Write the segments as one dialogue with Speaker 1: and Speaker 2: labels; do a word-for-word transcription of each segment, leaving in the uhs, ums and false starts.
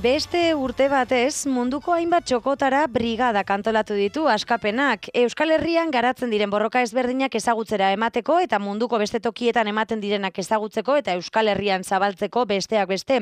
Speaker 1: Beste urte batez, munduko hainbat txokotara brigada kantolatu ditu askapenak. Euskal Herrian garatzen diren borroka ezberdinak ezagutzera emateko eta munduko beste tokietan ematen direnak ezagutzeko eta Euskal Herrian zabaltzeko besteak beste.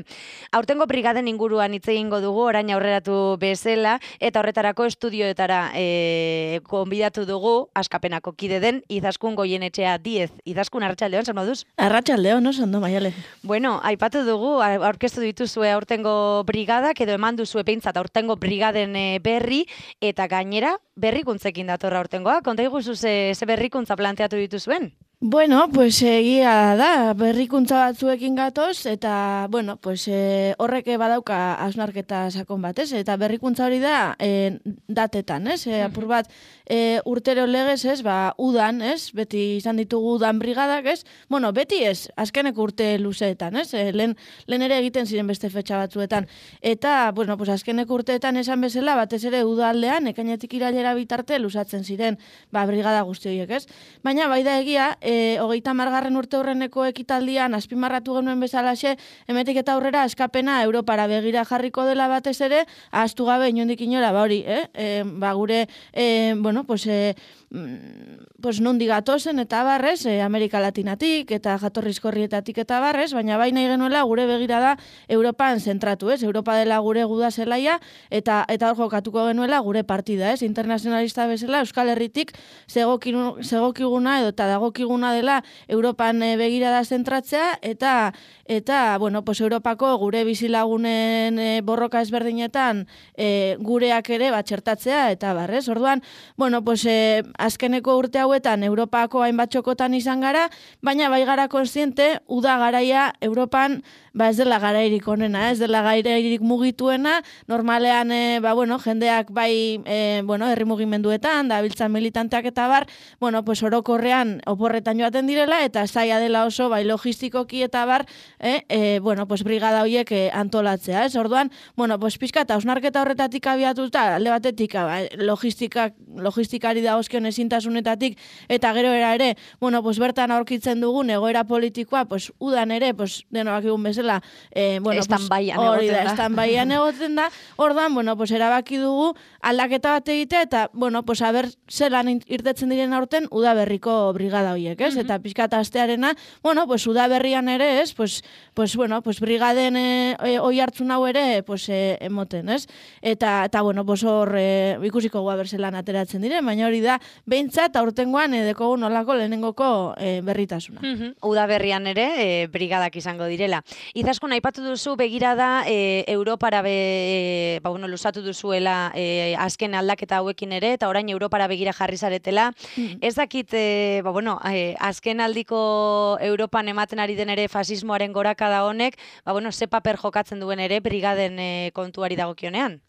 Speaker 1: Aurtengo brigaden inguruan hitz egingo dugu orain aurreratu bezala eta horretarako estudioetara e, konbidatu dugu askapenako kide den Izaskun Goienetxea Diez. Izaskun, arratsaldeon, zer moduz?
Speaker 2: Arratsaldeon, oso ondo, Maialen.
Speaker 1: Bueno, aipatu dugu, aurkeztu dituzue aurtengo brigadak edo eman duzu epeintzat aurtengo brigaden berri eta gainera berrikuntzekin datorra aurtengoa. Konta iguzu ze, ze berrikuntza planteatu dituzuen?
Speaker 2: Bueno, pues egia da, berrikuntza batzuekin gatoz, eta, bueno, pues e, horrek badauka hausnarketa sakon bat, ez? Eta berrikuntza hori da e, datetan, ez? E, apur bat e, urtero legez, ez? Ba, udan, ez? Beti izan ditugu udan brigadak, ez? Bueno, beti ez, azkeneko urte luzeetan, ez? E, lehen, lehen ere egiten ziren beste fetxa batzuetan. Eta, bueno, pues azkeneko urteetan esan bezala, batez ere udaldean, ekainetik irailera bitarte luzatzen ziren, ba, brigada guzti horiek, ez? Baina, bai da egia, E, hogeita margarren urte horreneko ekitaldian azpimarratu genuen bezalaxe, emetik eta aurrera askapena Europara begira jarriko dela batez ere, ahaztu gabe inondik inora, ba hori, eh? E, ba gure, e, bueno, pues, e, pues nondi gatozen eta barrez, e, Amerika Latinatik eta jatorrizkorrietatik eta barrez, baina bai nahi genuela gure begirada Europan zentratu, ez? Europa dela gure guda zelaia eta eta hor jokatuko genuela gure partida, ez? Internazionalista bezala Euskal Herritik zegokiguna edo eta dagokiguna dela Europan e, begirada zentratzea eta eta bueno, pues Europako gure bizilagunen e, borroka ezberdinetan e, gureak ere bat txertatzea eta barrez. Orduan, bueno, pues e, azkeneko urte hauetan Europako hainbat txokotan izan gara, baina bai gara kontziente uda garaia Europan ba ez dela garairik onena, ez dela garairik mugituena, normalean e, ba bueno, jendeak bai e, bueno, herri mugimenduetan, da biltzan militanteak eta bar, bueno, pues orokorrean oporretan joaten direla eta zaila dela oso bai logistikoki eta bar, eh, e, bueno, pues brigada horiek e, antolatzea, ez? Orduan, bueno, pues pixka eta hausnarketa horretatik abiatuta, alde batetik, ba, logistika, logistikari dagozkion ezintasunetatik eta gero era ere, bueno, pues bertan aurkitzen dugun egoera politikoa, pues udan ere, pues denoak egun bezala, eh, bueno,
Speaker 1: estan baian
Speaker 2: pues, hori
Speaker 1: egoten
Speaker 2: da, estan baian egoten da, orduan, bueno, pues erabaki dugu aldaketa bat egitea eta, bueno, pues aber zelan irtetzen diren aurten udaberriko brigada horiek, ez? Eta pixka eta astearena, bueno, pues udaberrian ere, ez? Pues, pues bueno, pues brigaden e, e, oi hartzun hau ere, pues e, emoten, ez? Eta, eta bueno, pues hor e, ikusiko gua berzelan ateratzen diren, baina hori da, behintzat aurtengoan e, dekogu nolako lehenengoko e, berritasuna.
Speaker 1: Mm-hmm. Udaberrian ere, e, brigadak izango direla. Izaskun, aipatu duzu begirada e, Europara be, e, ba, bueno, lusatu duzuela e, azken aldaketa hauekin ere, eta orain Europara begira jarri zaretela. Mm-hmm. Ez dakit, e, ba, bueno, e, azken aldiko Europan ematen ari den ere fasismoaren gorakada honek, ba, bueno, ze paper jokatzen duen ere brigaden e, kontuari dagokionean?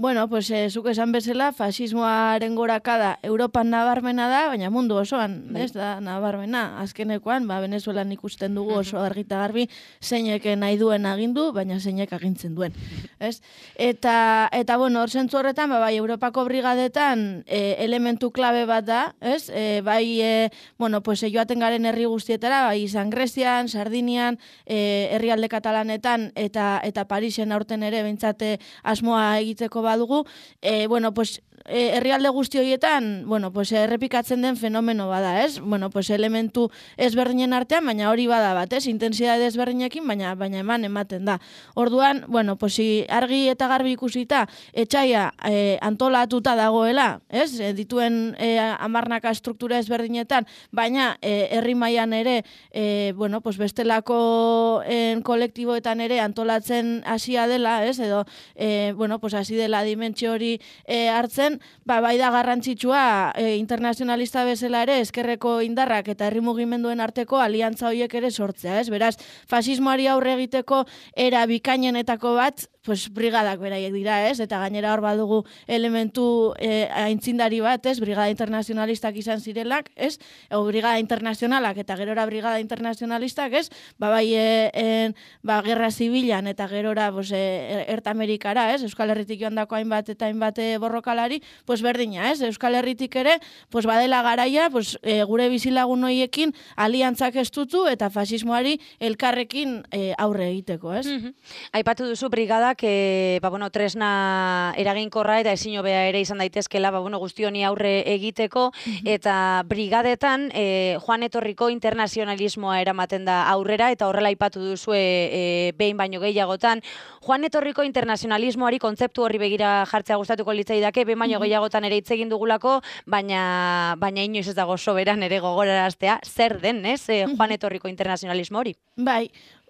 Speaker 2: Bueno, pues eh, zuk esan bezala, fasismoaren gorakada Europan nabarmena da, baina mundu osoan, ez da, nabarmena. Azkenekoan, ba, Venezuelan ikusten dugu oso argita garbi, zeinek nahi duen agindu, baina zeinek agintzen duen. Ez? Eta, eta bueno, hor zentzu horretan, ba, bai, Europako brigadetan e, elementu klabe bat da, ez? E, bai, e, bueno, pues e, joaten garen herri guztietara, bai, izan Grezian, Sardinian, e, herrialde katalanetan, eta, eta Parisen aurten ere, behintzate asmoa egiteko badugu, eh, bueno, pues eh, herrialde guzti horietan, bueno, pues errepikatzen den fenomeno bada, ez? Bueno, pues elementu ezberdinen artean, baina hori bada bat, ez? Intensidade ezberdinekin, baina baina eman ematen da. Orduan, bueno, pues argi eta garbi ikusita etxaia eh, antolatuta dagoela, ez? E, dituen eh, hamarnaka struktura ezberdinetan, baina eh, herri mailan ere, eh, bueno, pues bestelako en kolektiboetan ere antolatzen hasia dela, ez? Edo, eh, bueno, pues hasi dela dimentsio hori e, hartzen, ba, bai da garrantzitsua e, internazionalista bezala ere eskerreko indarrak eta herri mugimenduen arteko aliantza horiek ere sortzea, ez? Beraz, fasismoari aurre egiteko era bikainenetako bat, pues brigadak beraiek dira, ez? Eta gainera hor badugu elementu e, aintzindari bat, ez? Brigada internazionalistak izan zirelak, ez? Ego brigada internazionalak eta gerora brigada internazionalistak, ez? Ba, bai, e, en, ba, gerra zibilan eta gerora, pues, e, Ertamerikara, ez? Euskal Herritik joan dako hainbat eta hainbat borrokalari, pues berdina, ez? Euskal Herritik ere, pues badela garaia, pues, e, gure bizilagun hoiekin aliantzak estutu eta fasismoari elkarrekin e, aurre egiteko, ez?
Speaker 1: Mm-hmm. Aipatu duzu brigadak bideak, e, ba, bueno, tresna eraginkorra eta ezin hobea ere izan daitezkela, ba, bueno, guzti honi aurre egiteko, eta brigadetan e, joan etorriko internazionalismoa eramaten da aurrera, eta horrela aipatu duzue e, behin baino gehiagotan. Joan etorriko internazionalismoari kontzeptu horri begira jartzea gustatuko litzaidake, behin baino gehiagotan ere hitz egin dugulako, baina, baina inoiz ez dago soberan ere gogoraraztea, zer den, ez, e, joan etorriko internazionalismo hori?
Speaker 2: Bai,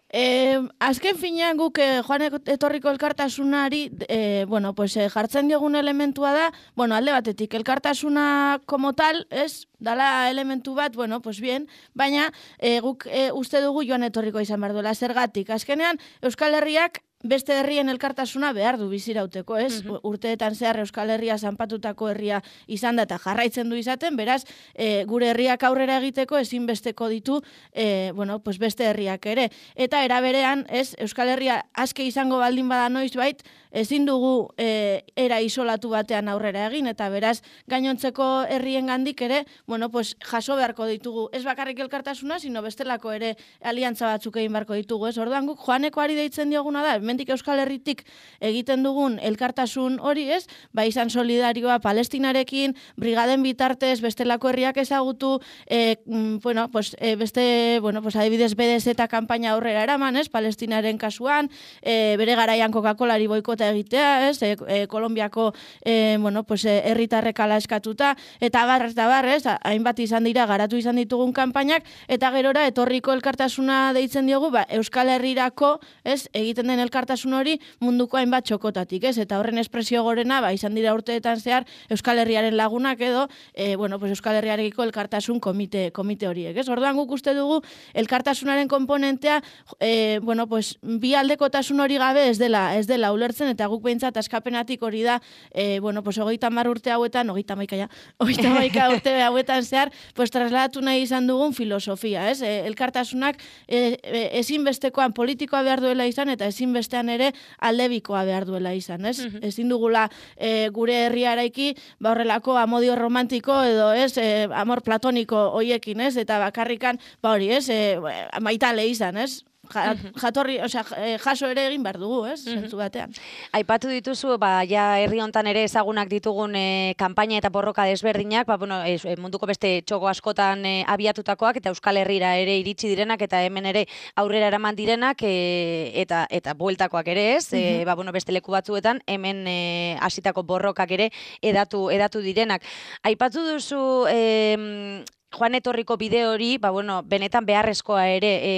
Speaker 2: Eh, azken finean guk eh, joan etorriko elkartasunari eh, bueno, pues, eh, jartzen diogun elementua da, bueno, alde batetik, elkartasuna como tal, ez, dala elementu bat, bueno, pues bien, baina eh, guk eh, uste dugu joan etorriko izan behar duela, zergatik. Azkenean, Euskal Herriak beste herrien elkartasuna behar du bizirauteko, ez? Uh-huh. Urteetan zehar Euskal Herria zanpatutako herria izan da eta jarraitzen du izaten, beraz, e, gure herriak aurrera egiteko ezinbesteko ditu, e, bueno, pues beste herriak ere. Eta era berean, ez, Euskal Herria aske izango baldin bada noiz bait, ezin dugu e, era isolatu batean aurrera egin, eta beraz, gainontzeko herrien gandik ere, bueno, pues jaso beharko ditugu, ez bakarrik elkartasuna, sino bestelako ere aliantza batzuk egin beharko ditugu, ez? Orduan guk joanekoari deitzen dioguna da, hemendik Euskal Herritik egiten dugun elkartasun hori, ez? Ba izan solidarioa Palestinarekin, brigaden bitartez, bestelako herriak ezagutu, e, bueno, pues, e, beste, bueno, pues, adibidez B D Z kanpaina aurrera eraman, ez? Palestinaren kasuan, e, bere garaian Coca-Colari boikota egitea, ez? E, e, Kolombiako, e, bueno, pues, herritarrek ala eskatuta, eta bar, eta bar, ez? Hainbat izan dira, garatu izan ditugun kanpainak, eta gerora etorriko elkartasuna deitzen diogu, ba, Euskal Herrirako, ez? Egiten den elkartasuna elkartasun hori munduko hainbat txokotatik, ez? Eta horren espresio gorena, ba, izan dira urteetan zehar Euskal Herriaren lagunak edo, e, bueno, pues Euskal Herriarekiko elkartasun komite, komite horiek, ez? Orduan guk uste dugu elkartasunaren komponentea, e, bueno, pues bi aldekotasun hori gabe ez dela, ez dela ulertzen, eta guk behintzat askapenatik hori da, e, bueno, pues hogeita hamar urte hauetan, hogeita hamaika ja, hogeita hamaika urte hauetan zehar, pues trasladatu nahi izan dugun filosofia, ez? E, elkartasunak e, e, ezinbestekoan politikoa behar duela izan, eta ezinbestekoan bestean ere aldebikoa behar duela izan, ez? Uh-huh. Ezin dugula e, gure herria eraiki, ba horrelako amodio romantiko edo, ez, e, amor platoniko hoiekin, ez? Eta bakarrikan, ba hori, ez, e, maitale izan, ez? Ja, jatorri, osea, jaso ere egin behar dugu, ez? Zentzu batean.
Speaker 1: Aipatu dituzu, ba, ja herri hontan ere ezagunak ditugun e, kanpaina eta borroka desberdinak, ba, bueno, ez, munduko beste txoko askotan e, abiatutakoak eta Euskal Herrira ere iritsi direnak eta hemen ere aurrera eraman direnak e, eta eta bueltakoak ere ez, e, ba, bueno, beste leku batzuetan hemen e, hasitako borrokak ere edatu, edatu direnak. Aipatu duzu e, Joan etorriko bide hori, ba, bueno, benetan beharrezkoa ere e,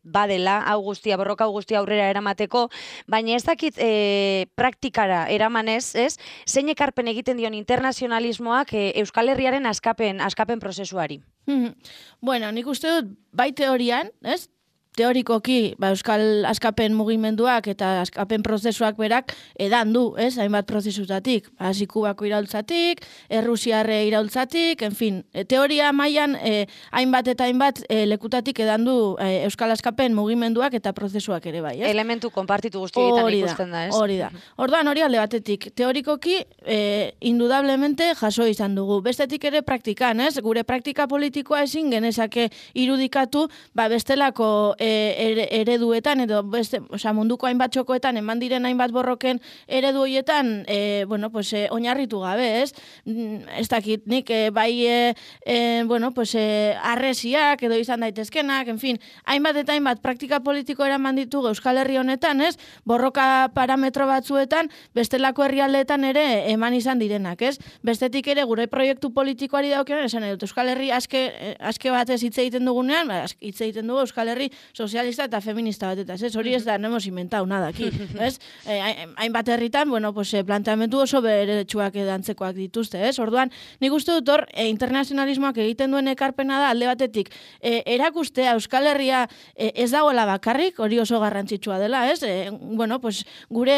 Speaker 1: badela, hau guztia, borroka hau guztia aurrera eramateko, baina ez dakit e, praktikara eramanez, ez? Zein ekarpen egiten dion internazionalismoak e, Euskal Herriaren askapen, askapen prozesuari?
Speaker 2: Bueno, nik uste dut bai teorian, ez? Teorikoki, ba, Euskal askapen mugimenduak eta askapen prozesuak berak edan du, ez, hainbat prozesutatik. Hasi Kubako iraultzatik, Errusiarre iraultzatik, en fin, e, teoria mailan e, hainbat eta hainbat e, lekutatik edan du e, Euskal askapen mugimenduak eta prozesuak ere bai, ez?
Speaker 1: Elementu konpartitu guztietan ikusten da, ez?
Speaker 2: Hori da. Orduan hori alde batetik, teorikoki e, indudablemente jaso izan dugu. Bestetik ere praktikan, ez? Gure praktika politikoa ezin genezake irudikatu, ba, bestelako ereduetan edo beste, osea, munduko hainbat txokoetan eman diren hainbat borroken eredu hoietan, e, bueno, pues e, oinarritu gabe, ez? Ez dakit, nik e, bai e, e, bueno, pues e, arresiak edo izan daitezkenak, en fin, hainbat eta hainbat praktika politiko eraman ditugu Euskal Herri honetan, ez? Borroka parametro batzuetan, bestelako herrialdeetan ere eman izan direnak, ez? Bestetik ere gure proiektu politikoari daukionean, esan edut, Euskal Herri aske, aske batez hitz egiten dugunean, hitz egiten dugu Euskal Herri sozialista eta feminista batetaz, ez? Hori ez da, no hemos inventado nada aquí, ez? Hainbat herritan, bueno, pues, planteamendu oso beretsuak edantzekoak dituzte, ez? Orduan, nik uste dut hor, e, internazionalismoak egiten duen ekarpena da, alde batetik, e, erakustea Euskal Herria e, ez dagoela bakarrik, hori oso garrantzitsua dela, ez? E, bueno, pues, gure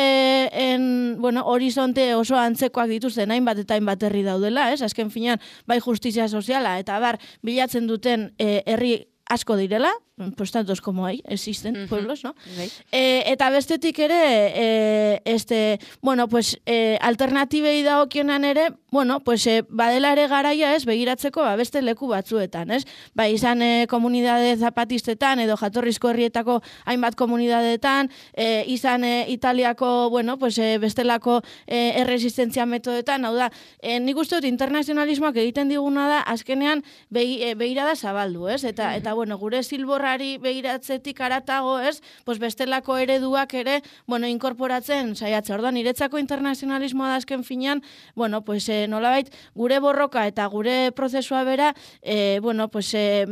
Speaker 2: en, bueno, horizonte oso antzekoak dituzten hainbat eta hainbat herri daudela, ez? Azken finean, bai justizia soziala, eta bar, bilatzen duten e, herri asko direla, pues tantos como hay, existen
Speaker 1: Mhm.
Speaker 2: pueblos, ¿no?
Speaker 1: Bai.
Speaker 2: E, eta bestetik ere, e, este, bueno, pues, e, alternatibei dagokionan ere, bueno, pues, e, badela ere garaia ez, begiratzeko ba, beste leku batzuetan, ez? Ba, izan e, komunidade zapatistetan edo jatorrizko herrietako hainbat komunidadeetan, e, izan e, Italiako, bueno, pues, e, bestelako e, erresistentzia metodetan, hau da, e, nik uste dut internazionalismoak egiten diguna da, azkenean begi, e, begirada zabaldu, ez? Eta, eta bueno, gure zilborrari begiratzetik aratago, ez? Pues bestelako ereduak ere, bueno, inkorporatzen saiatzea. Orduan, niretzako internazionalismoa da azken finean, bueno, pues e, nolabait gure borroka eta gure prozesua bera, e, bueno, pues e,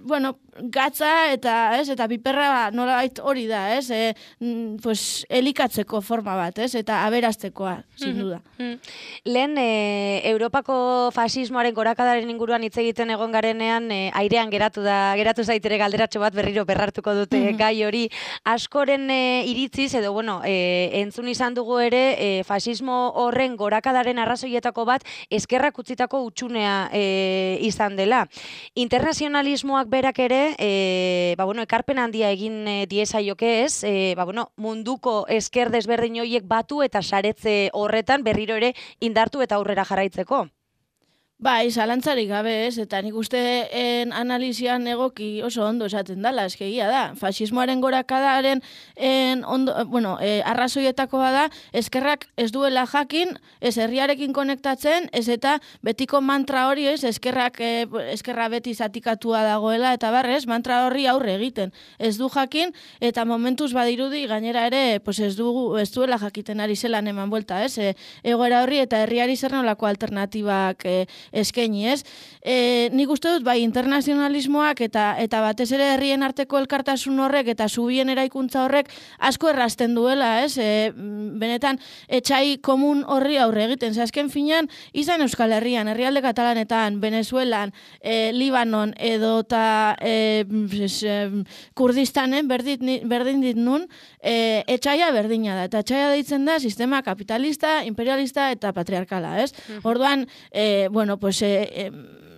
Speaker 2: bueno, gatza eta, ez? Eta piperra nolabait hori da, ez? E, pues elikatzeko forma bat, ez? Eta aberaztekoa, sin duda.
Speaker 1: Lehen, e, Europako fasismoaren gorakadaren inguruan hitz egiten egon garenean, e, airean geratu da, geratu zaitere galderatxo bat berriro berrartuko dute
Speaker 2: Mhm.
Speaker 1: gai hori. Askoren e, iritziz, edo bueno, e, entzun izan dugu ere, e, fasismo horren gorakadaren arrazoietako bat eskerrak utzitako utxunea e, izan dela. Internazionalismoak berak ere, e, ba, bueno, ekarpen handia egin e, diezaioke ez, e, ba, bueno, munduko esker desberdin horiek batu eta saretze horretan berriro ere indartu eta aurrera jarraitzeko.
Speaker 2: Bai, zalantzarik gabe ez, eta nik uste en analizian egoki oso ondo esaten dala, eskegia da. Fasismoaren gorakadaren en ondo, bueno, e, arrazoietako bada, eskerrak ez duela jakin, ez herriarekin konektatzen, ez eta betiko mantra hori ez, eskerrak, e, eskerra beti zatikatua dagoela, eta barrez, mantra horri aurre egiten. Ez du jakin, eta momentuz badirudi, gainera ere, pues ez, du, ez duela jakiten ari zelan eman buelta, ez? E, egoera horri eta herriari zer nolako alternatibak e, eskaini, ez? E, nik uste dut, bai, internazionalismoak eta eta batez ere herrien arteko elkartasun horrek eta zubien eraikuntza horrek asko errazten duela, ez? E, benetan, etxai komun horri aurre egiten. Ze azken finean, izan Euskal Herrian, herrialde Katalanetan, Venezuelan, e, Libanon edo eta e, Kurdistanen, berdin, berdin dit nun, e, etxaia berdina da. Eta etxaia deitzen da sistema kapitalista, imperialista eta patriarkala, ez? Orduan, e, bueno, pues, eh, eh,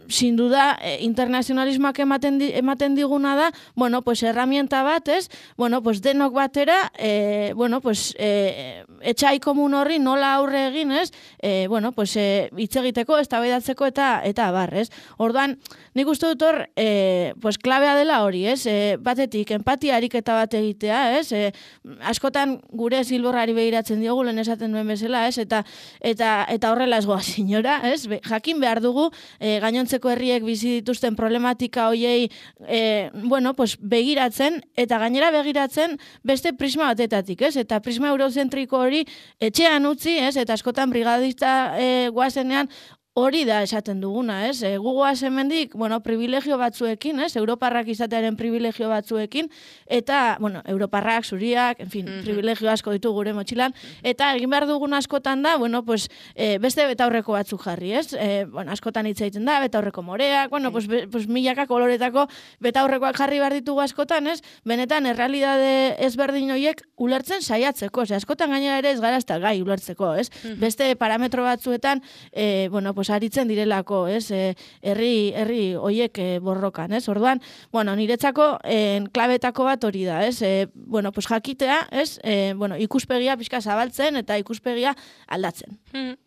Speaker 2: sin duda, eh, internazionalismoak ematen, di, ematen diguna da, bueno, pues, herramienta bat, ez? Bueno, pues, denok batera, eh, bueno, pues, eh, etxai komun horri nola aurre egin, ez? Eh, bueno, pues, eh, hitz egiteko, eztabaidatzeko eta eta abar, ez? Orduan, nik uste dut hor, eh, pues, klabea dela hori, ez? Eh, batetik, empatia ariketa bat egitea, ez? Eh, askotan gure zilborrari begiratzen diogu, lehen esaten duen bezala, ez? Eta, eta, eta horrela ez goa, senyora, ez? Be, jakin behar dugu, eh, gainontzeko herriek bizi dituzten problematika hoiei eh, bueno, pues, begiratzen, eta gainera begiratzen beste prisma batetatik, ez? Eta prisma eurozentriko hori etxean utzi, ez? Eta askotan brigadista eh, guazenean hori da esaten duguna, ez? E, gugoaz hemendik, bueno, privilegio batzuekin, ez? Europarrak izatearen privilegio batzuekin, eta, bueno, europarrak, zuriak, en fin, mm-hmm. privilegio asko ditu gure motxilan, eta egin behar dugun askotan da, bueno, pues, e, beste betaurreko batzuk jarri, ez? E, bueno, askotan hitz egiten da, betaurreko moreak, bueno, pues, be, pues milaka koloretako betaurrekoak jarri behar ditugu askotan, ez? Benetan, errealidade ezberdin horiek ulertzen saiatzeko, ze askotan gainera ere ez gara ez da gai ulertzeko, ez? Mm-hmm. Beste parametro batzuetan, e, bueno, pues, aritzen direlako, ez? E, herri herri hoiek e, borrokan, ez? Orduan, bueno, niretzako en klabetako bat hori da, ez? E, bueno, pues jakitea, ez? E, bueno, ikuspegia pixka zabaltzen eta ikuspegia aldatzen.
Speaker 1: Hmm.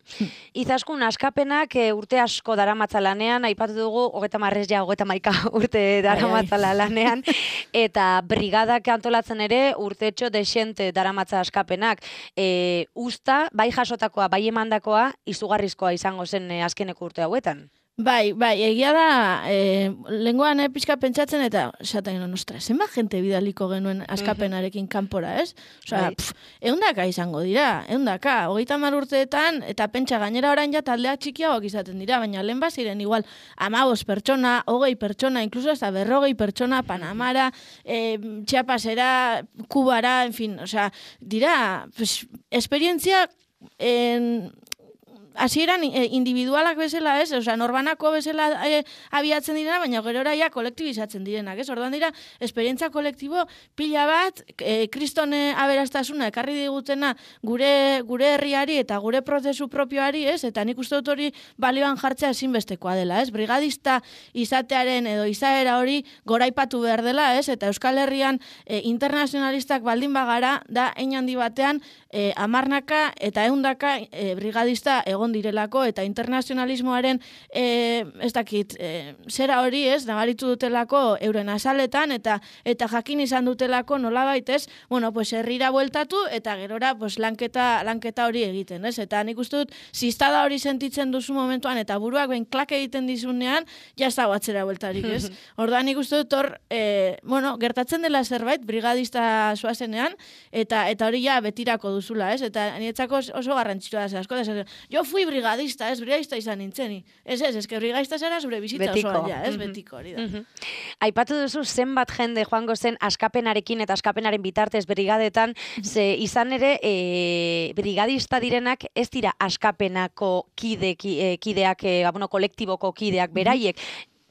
Speaker 1: Izaskun askapenak e, urte asko daramatza lanean, aipatu dugu hogeita marrez ja hogeita maika urte daramatzala lanean, eta brigadak antolatzen ere urtetxo desente daramatza askapenak. E, usta, bai jasotakoa, bai emandakoa, izugarrizkoa izango zen e, azkeneko urte hauetan.
Speaker 2: Bai, bai, egia da, e, lenguan eh, pixka pentsatzen eta esaten genuen, ostra, zenba jente bidaliko genuen askapenarekin kanpora, ez? Osea,
Speaker 1: Bai.
Speaker 2: pff, eundaka izango dira, eundaka, hogeita hamar urteetan, eta pentsa gainera orain ja taldeak txikiagoak izaten dira, baina lehen baziren igual amabos pertsona, hogei pertsona, inkluso hasta berrogei pertsona, Panamara, e, Chiapasera, Kubara, en fin, osea, dira, pues, esperientzia en hasieran individualak bezala, ez? Osea, norbanako bezala e, abiatzen direna, baina gerora ja kolektibizatzen direnak, ez? Orduan dira, esperientzia kolektibo pila bat, e, kriston aberastasuna ekarri digutena gure gure herriari eta gure prozesu propioari, ez? Eta nik uste dut hori balioan jartzea ezinbestekoa dela, ez? Brigadista izatearen edo izaera hori goraipatu behar dela, ez? Eta Euskal Herrian e, internazionalistak baldin bagara da hein handi batean e, amarnaka eta ehundaka e, brigadista egon direlako eta internazionalismoaren e, ez dakit, e, zera hori, ez? Nabaritu dutelako euren azaletan eta eta jakin izan dutelako nolabait, ez? Bueno, pues herrira bueltatu eta gerora pues lanketa lanketa hori egiten, ez? Eta nik uste dut zistada hori sentitzen duzu momentuan eta buruak ben klak egiten dizunean, ja ez dago atzera bueltarik, ez? Orduan nik uste dut hor, e, bueno, gertatzen dela zerbait brigadista zoazenean eta eta hori ja betirako duzula, ez? Eta nietzako oso garrantzitsua da asko da. Jo fui brigadista, ez? Brigadista izan nintzeni. Ez ez, ez que brigadista zara zure bizitza osoa ja, ez? Betiko hori da.
Speaker 1: Aipatu duzu zenbat jende joango zen askapenarekin eta askapenaren bitartez brigadetan, ze izan ere e, brigadista direnak ez dira askapenako kide, ki, e, kideak, e, bueno, kolektiboko kideak beraiek,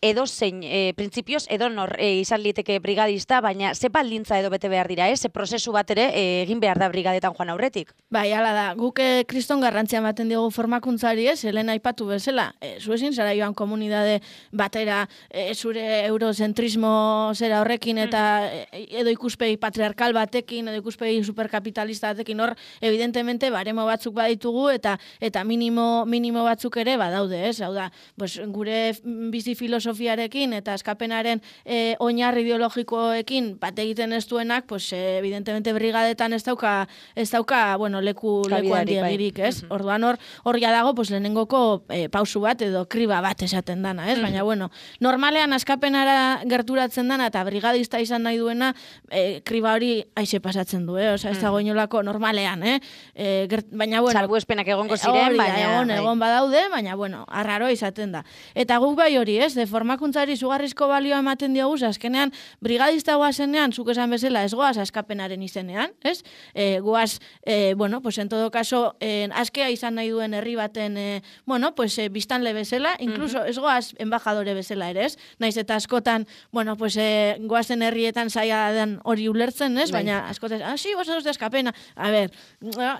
Speaker 1: edo zein, e, printzipioz, edo nor e, izan liteke brigadista, baina ze baldintza edo bete behar dira, eh? Ze prozesu bat ere e, egin behar da brigadetan joan aurretik.
Speaker 2: Bai, hala da, guk e, kriston garrantzia ematen diogu formakuntzari, ez, helen aipatu bezala, e, zuezin zara joan komunidade batera, e, zure eurozentrismo zera horrekin, eta e, edo ikuspegi patriarkal batekin, edo ikuspegi superkapitalista batekin, hor, evidentemente, baremo batzuk baditugu, eta eta minimo, minimo batzuk ere badaude, ez, hau da, pues, gure bizi filosofiarekin eta askapenaren e, oinarri ideologikoekin bat egiten ez duenak, pues, e, evidentemente brigadetan ez dauka, ez dauka, bueno, leku, leku handiegirik, ez? Uh-huh. Orduan hor, hor ja dago, pues, lehenengoko e, pausu bat edo kriba bat esaten dana, ez? Uh-huh. Baina, bueno, normalean askapenara gerturatzen dana eta brigadista izan nahi duena, e, kriba hori aixe pasatzen du, eh? Osa, ez dago inolako normalean, eh? E, gert, baina, bueno,
Speaker 1: salbuespenak egongo ziren,
Speaker 2: hori,
Speaker 1: baina...
Speaker 2: Egon, egon badaude, baina, bueno, arraro izaten da. Eta guk bai hori, ez? De formakuntzari zugarrizko balioa ematen diogu, azkenean, brigadista goazenean, zuk esan bezala, ez goaz askapenaren izenean, ez? E, goaz, e, bueno, pues en todo caso, e, askea izan nahi duen herri baten, e, bueno, pues e, biztanle bezala, incluso uh-huh. ez goaz embajadore bezala ere, ez? Naiz eta askotan, bueno, pues e, goazen herrietan zaila den hori ulertzen, ez? Baina askotan, ah, si, vosotros de askapena. A ver,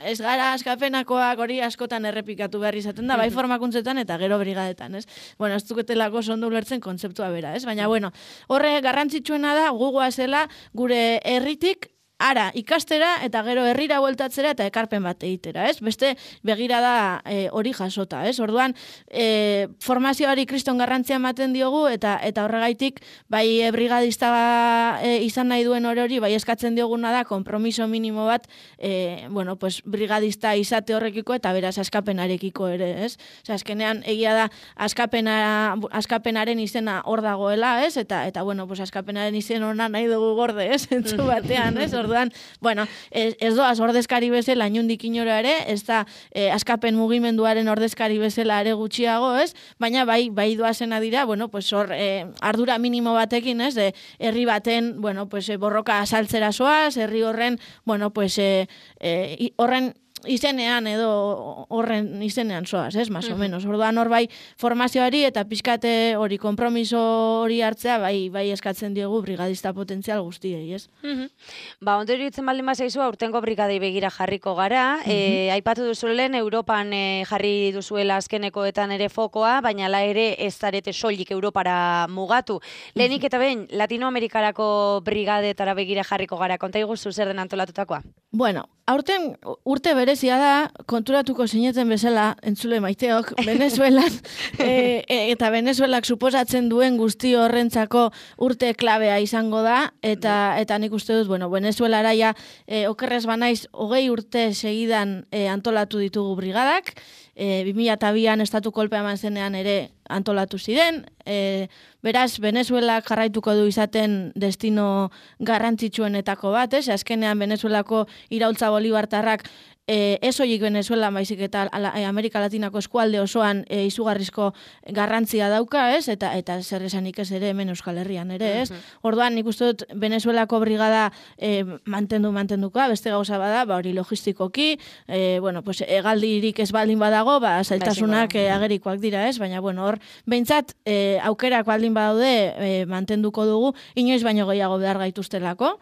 Speaker 2: ez gara askapenakoak hori askotan errepikatu behar izaten da, bai formakuntzetan eta gero brigadetan, ez? Bueno, ez duketelako ondo ulertzen kontzeptua bera, ez? Baina, bueno, horre garrantzitsuena da gugoa zela gure herritik ara ikastera eta gero herrira bueltatzera eta ekarpen bat egitera, ez? Beste begirada e, hori jasota, ez? Orduan, e, formazioari kriston garrantzia ematen diogu eta eta horregaitik bai e, brigadista e, izan nahi duen hori hori, bai eskatzen dioguna da konpromiso minimo bat, e, bueno, pues brigadista izate horrekiko eta beraz askapenarekiko ere, ez? Osea, azkenean egia da askapena, askapenaren izena hor dagoela, ez? Eta eta bueno, pues askapenaren izen ona nahi dugu gorde, ez? Entzu batean, ez? Orduan, bueno, ez, ez doaz ordezkari bezala inundik inora ere, ez da eh, askapen mugimenduaren ordezkari bezala ere gutxiago, ez? Baina bai, bai doazena dira, bueno, pues hor eh, ardura minimo batekin, ez? De herri baten, bueno, pues eh, borroka asaltzera zoaz, herri horren, bueno, pues eh, eh, horren izenean edo horren izenean zoaz, ez, más o menos. Orduan hor bai formazioari eta pizkate hori konpromiso hori hartzea bai bai eskatzen diogu brigadista potentzial guztiei, ez?
Speaker 1: Uh-huh. Ba, ondo iruditzen baldin bazaizu aurtengo brigadei begira jarriko gara. Uh-huh. E, aipatu duzuelen Europan e, jarri duzuela azkenekoetan ere fokoa, baina la ere ez zarete soilik Europara mugatu. Lehenik eta behin Latinoamerikarako brigadetara begira jarriko gara. Konta iguzu zer den antolatutakoa?
Speaker 2: Bueno, aurten urte berezia da, konturatuko sineten bezala, entzule maiteok, Venezuelan, e, e, eta Venezuelak suposatzen duen guzti horrentzako urte klabea izango da, eta eta nik uste dut, bueno, Venezuelara ja, e, okerrez banaiz, hogei urte segidan e, antolatu ditugu brigadak, e, bi mila bian estatu kolpea eman zenean ere antolatu ziren, e, beraz, Venezuelak jarraituko du izaten destino garrantzitsuenetako bat, ez? Azkenean Venezuelako iraultza bolibartarrak e, ez horiek Venezuela, baizik eta ala, e, Amerika Latinako eskualde osoan e, izugarrizko garrantzia dauka, ez? Eta eta zer esanik ez ere hemen Euskal Herrian ere, ez? Uh-huh. Orduan, nik uste dut Venezuelako brigada e, mantendu mantenduka, beste gauza bada, ba hori logistikoki, e, bueno, pues hegaldirik ez baldin badago, ba zailtasunak e, agerikoak dira, ez? Baina bueno, hor behintzat e, aukerak baldin badaude e, mantenduko dugu, inoiz baino gehiago behar gaituztelako.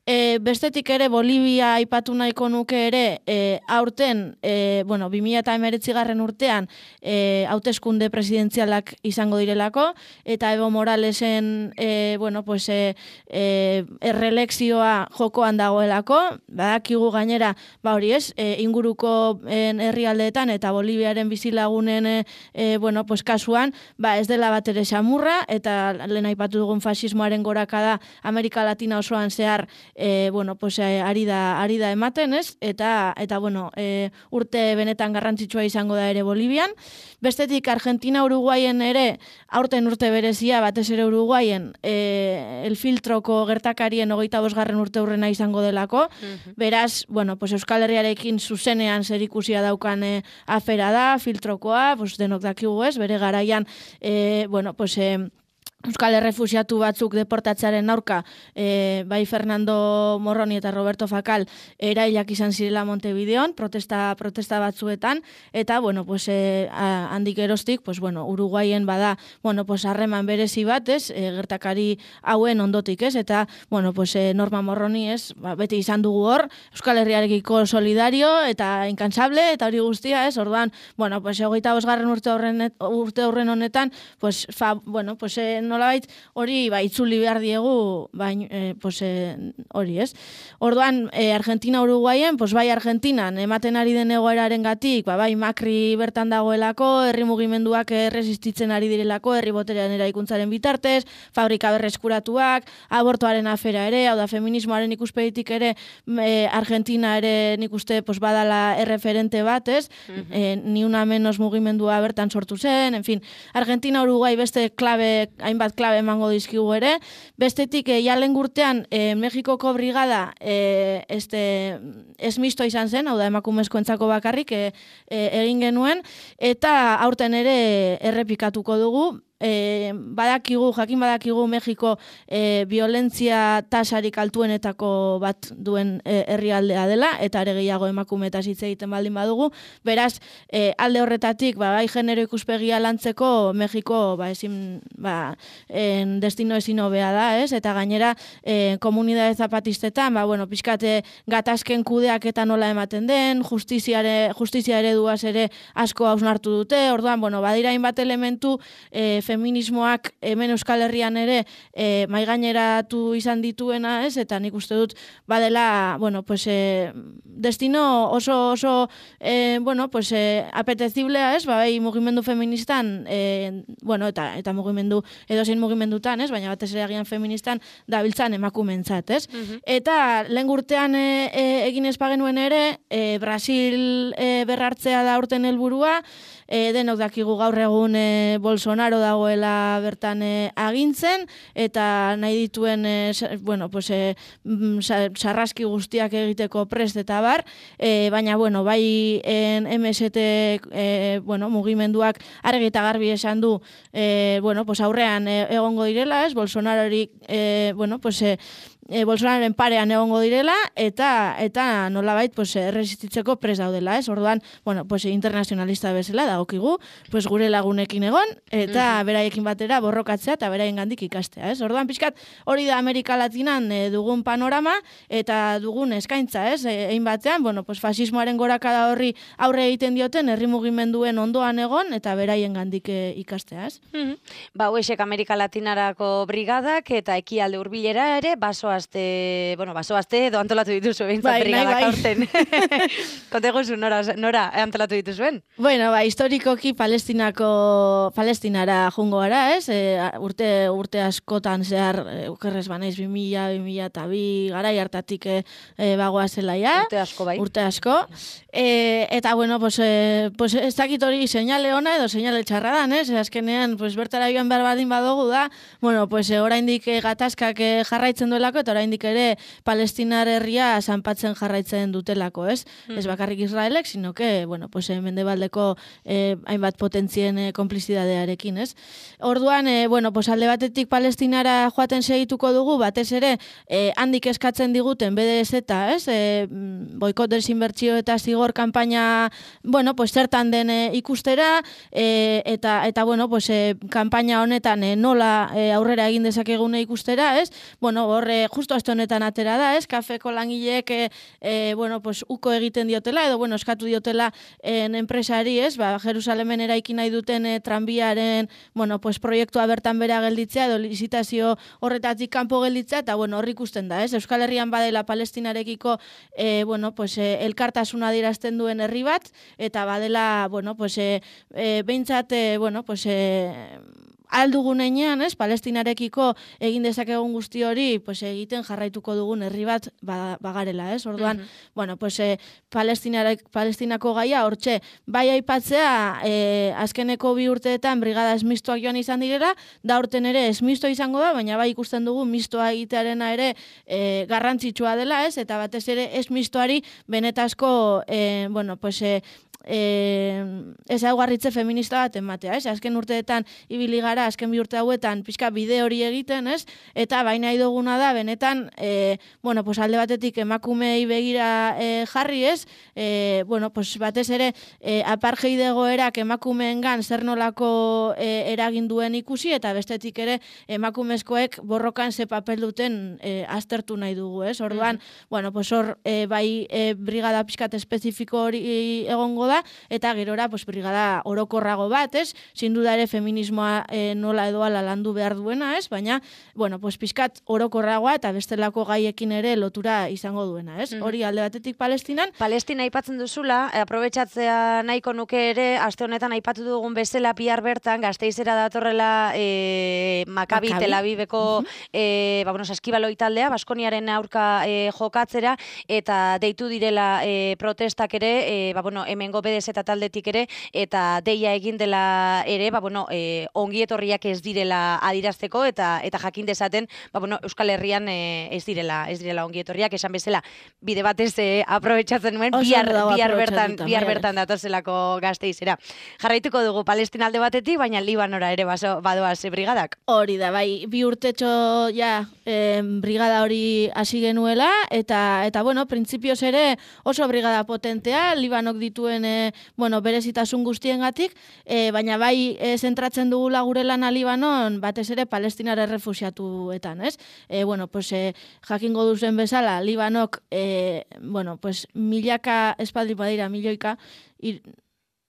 Speaker 2: E, bestetik ere Bolivia aipatu nahiko nuke ere e, aurten, e, bueno, bi mila hemeretzi garren urtean e, hauteskunde presidentzialak izango direlako, eta Evo Moralesen e, bueno, pues, e, e, errelekzioa jokoan dagoelako, badakigu gainera, ba hori ez, e, inguruko en, herrialdeetan eta Boliviaren bizilagunen e, e, bueno, pues, kasuan, ba ez dela bat ere xamurra, eta lehen aipatu dugun fasismoaren gorakada Amerika Latina osoan zehar E, bueno, pues, e, ari da, ari da ematen, ez? Eta, eta bueno, e, urte benetan garrantzitsua izango da ere Bolivian. Bestetik, Argentina, Uruguayen ere, aurten urte berezia, batez ere Uruguayen, e, el filtroko gertakarien hogeita bosgarren urte hurrena izango delako. Uh-huh. Beraz, bueno, pues, Euskal Herriarekin zuzenean zerikusia daukan e, afera da, filtrokoa, pues, denok dakigu ez, bere garaian, e, bueno, pues, e, Euskal errefusiatu batzuk deportatzearen aurka, e, bai Fernando Morroni eta Roberto Fakal erailak izan zirela Montevideon, protesta, protesta batzuetan, eta, bueno, pues, e, a, handik erostik, pues, bueno, Uruguayen bada, bueno, pues, harreman berezi bat, ez, e, gertakari hauen ondotik, ez, eta, bueno, pues, e, Norma Morroni, ez, ba, beti izan dugu hor, Euskal Herriarekiko solidario eta inkansable, eta hori guztia, ez, orduan, bueno, pues, hogeita bosgarren urte horren, urte horren honetan, pues, fa, bueno, pues, e, nolabait hori ba itzuli behar diegu bain eh, pues eh, hori, ez? Orduan eh, Argentina Uruguayen, pues bai Argentinan ematen ari den egoerarengatik, ba bai Macri bertan dagoelako, herri mugimenduak erresistitzen ari direlako, herri boterean eraikuntzaren bitartez, fabrika berreskuratuak, abortoaren afera ere, hau da feminismoaren ikuspegitik ere eh, Argentina ere nikuste pues badala erreferente bat, ez? Uh-huh. eh, ni una menos mugimendua bertan sortu zen, en fin, Argentina Uruguai beste klabe bat klabe emango dizkigu ere. Bestetik, e, jalen gurtean, e, Mexikoko brigada e, este, esmisto izan zen, hau da emakumezkoentzako bakarrik e, e, egin genuen, eta aurten ere errepikatuko dugu. E, badakigu, jakin badakigu Mexiko e, violentzia tasarik altuenetako bat duen e, herrialdea dela, eta are gehiago emakumeetaz hitz egiten baldin badugu. Beraz, e, alde horretatik, ba, bai genero ikuspegia lantzeko Mexiko ba, ezin, ba, en destino ezin hobea da, ez? Eta gainera, e, komunidade zapatistetan, ba, bueno, pixkate gatazken kudeak eta nola ematen den, justiziare, justizia ereduaz ere asko hausnartu dute, orduan, bueno, badira hainbat elementu e, feminismoak hemen Euskal Herrian ere e, maigaineratu izan dituena, ez? Eta nik uste dut badela, bueno, pues, e, destino oso oso e, bueno, pues, e, apeteciblea, ez? Ba, bai, mugimendu feministan, e, bueno, eta eta mugimendu edozein mugimendutan, ez? Baina batez ere agian feministan dabiltzan emakumentzat, ez? Uh-huh. Eta lehen urtean e, e, egin ez bagenuen ere, e, Brasil e, berrartzea da urten helburua, e, denok dakigu gaur egun e, Bolsonaro dagoela bertan e, agintzen, eta nahi dituen e, bueno, pues, e, sarraski guztiak egiteko prest eta bar, e, baina bueno, bai en M S T e, bueno, mugimenduak argi eta garbi esan du e, bueno, pues, aurrean e, egongo direla, ez? Bolsonarori e, bueno, pues, e, E, Bolsonaroren parean egongo direla, eta eta nolabait pues, erresistitzeko pres daudela, ez? Orduan, bueno, pues, internazionalista bezala dagokigu, pues, gure lagunekin egon, eta uh-huh. beraiekin batera borrokatzea eta beraien gandik ikastea, ez? Orduan, pixkat, hori da Amerika Latinan e, dugun panorama, eta dugun eskaintza, ez? Egin batean, bueno, pues, fasismoaren gorakada horri aurre egiten dioten, herri mugimenduen ondoan egon, eta beraien gandik e, ikastea, ez?
Speaker 1: Uh-huh. Ba, huesek Amerika Latinarako brigadak, eta ekialde hurbilera ere, baso Aste, bueno, baso aste edo antolatu dituzu behintzat bai, brigadak bai. Aurten. Konteguzu, nora, nora antolatu dituzuen?
Speaker 2: Bueno, ba, historikoki Palestinako, Palestinara jungo gara, ez? E, urte, urte askotan zehar, ukerrez banaiz, bi mila, bi mila eta bi, garai hartatik e, bagoa zelaia.
Speaker 1: Urte asko, bai.
Speaker 2: Urte asko. E, eta, bueno, pues, e, pues, ez dakit hori seinale ona edo seinale txarra dan, ez? Azkenean, pues, bertara joan behar badin badugu da, bueno, pues, e, oraindik e, gatazkak e, jarraitzen duelako, eta oraindik ere Palestinar herria zanpatzen jarraitzen dutelako, ez? Ez bakarrik Israelek, sino que, bueno, pues, mendebaldeko eh, hainbat potentzien eh, konplizidadearekin, ez? Orduan, eh, bueno, pues, alde batetik Palestinara joaten segituko dugu, batez ere, eh, handik eskatzen diguten B D S eta, ez? Eh, boikot desinbertsio eta zigor kanpaina, bueno, pues, zertan den eh, ikustera, eh, eta, eta, bueno, pues, eh, kanpaina honetan eh, nola eh, aurrera egin dezakegune ikustera, ez? Bueno, horre, justo aste honetan atera da, ez? Kafeko langileek, eh, eh, bueno, pues, uko egiten diotela, edo, bueno, eskatu diotela en enpresari, ez? Ba, Jerusalemen eraiki nahi duten eh, tranbiaren, bueno, pues, proiektua bertan bera gelditzea, edo lizitazio horretatik kanpo gelditzea, eta, bueno, horri ikusten da, ez? Euskal Herrian badela Palestinarekiko, eh, bueno, pues, eh, elkartasuna adierazten duen herri bat, eta badela, bueno, pues, eh, eh, behintzat, eh, bueno, pues, eh, aldugun einean, ez, Palestinarekiko egin dezakegun guzti hori, pues, egiten jarraituko dugun herri bat ba, bagarela, ez? Orduan, uh-huh. bueno, pues, eh, Palestinako gaia, hortxe, bai aipatzea, eh, azkeneko bi urteetan brigada esmistoak joan izan direla, da urten ere esmisto izango da, baina bai ikusten dugu mistoa egitearena ere eh, garrantzitsua dela, ez? Eta batez ere esmistoari benetazko, eh, bueno, pues, eh, Eh, ezaugarritze feminista bat ematea, ez? Azken urteetan ibili gara, azken bi urte hauetan pixka bide hori egiten, ez? Eta baina iduguna da, benetan, eh, bueno, pues alde batetik emakumei begira eh, jarri, ez? Eh, bueno, pues batez ere, eh, apartheid egoerak emakumeengan zer nolako eh, eragin duen ikusi, eta bestetik ere emakumezkoek borrokan ze papel duten eh, aztertu nahi dugu, ez? Orduan, mm-hmm. bueno, pues hor, eh, bai eh, brigada pixkat espezifiko hori egongo da, eta gerora, pues, brigada orokorrago bat, ez? Sin duda ere feminismoa e, nola edo ala landu behar duena, ez? Baina, bueno, pues, pixkat orokorragoa eta bestelako gaiekin ere lotura izango duena, ez? Mm-hmm. Hori alde batetik Palestinan.
Speaker 1: Palestina aipatzen duzula, aprobetxatzea nahiko nuke ere, aste honetan aipatu dugun bezala bihar bertan, Gasteizera datorrela e, Maccabi Tel Aviveko mm-hmm. e, ba, bueno, saskibaloi taldea, Baskoniaren aurka e, jokatzera, eta deitu direla e, protestak ere, e, ba, bueno, hemengo B D S eta taldetik ere, eta deia egin dela ere, ba, bueno, e, ongi etorriak ez direla adirazteko, eta eta jakin dezaten, ba, bueno, Euskal Herrian e, ez direla ez direla ongi etorriak, esan bezala, bide batez e, aprobetxatzen nuen, bihar, bihar bertan, bihar bertan datozelako Gasteizera. Jarraituko dugu Palestina alde batetik, baina Libanora ere baso, badoaz e, brigadak.
Speaker 2: Hori da, bai, bi urtetxo ja, e, brigada hori hasi genuela, eta, eta bueno, printzipioz ere oso brigada potentea, Libanok dituen e, bueno, berezitasun guztiengatik, e, baina bai e, zentratzen dugula gure lana Libanon, batez ere Palestinar errefuxiatuetan, ez? E, bueno, pues, e, jakingo duzen bezala, Libanok, e, bueno, pues, milaka espaldi badira, milioika, ir,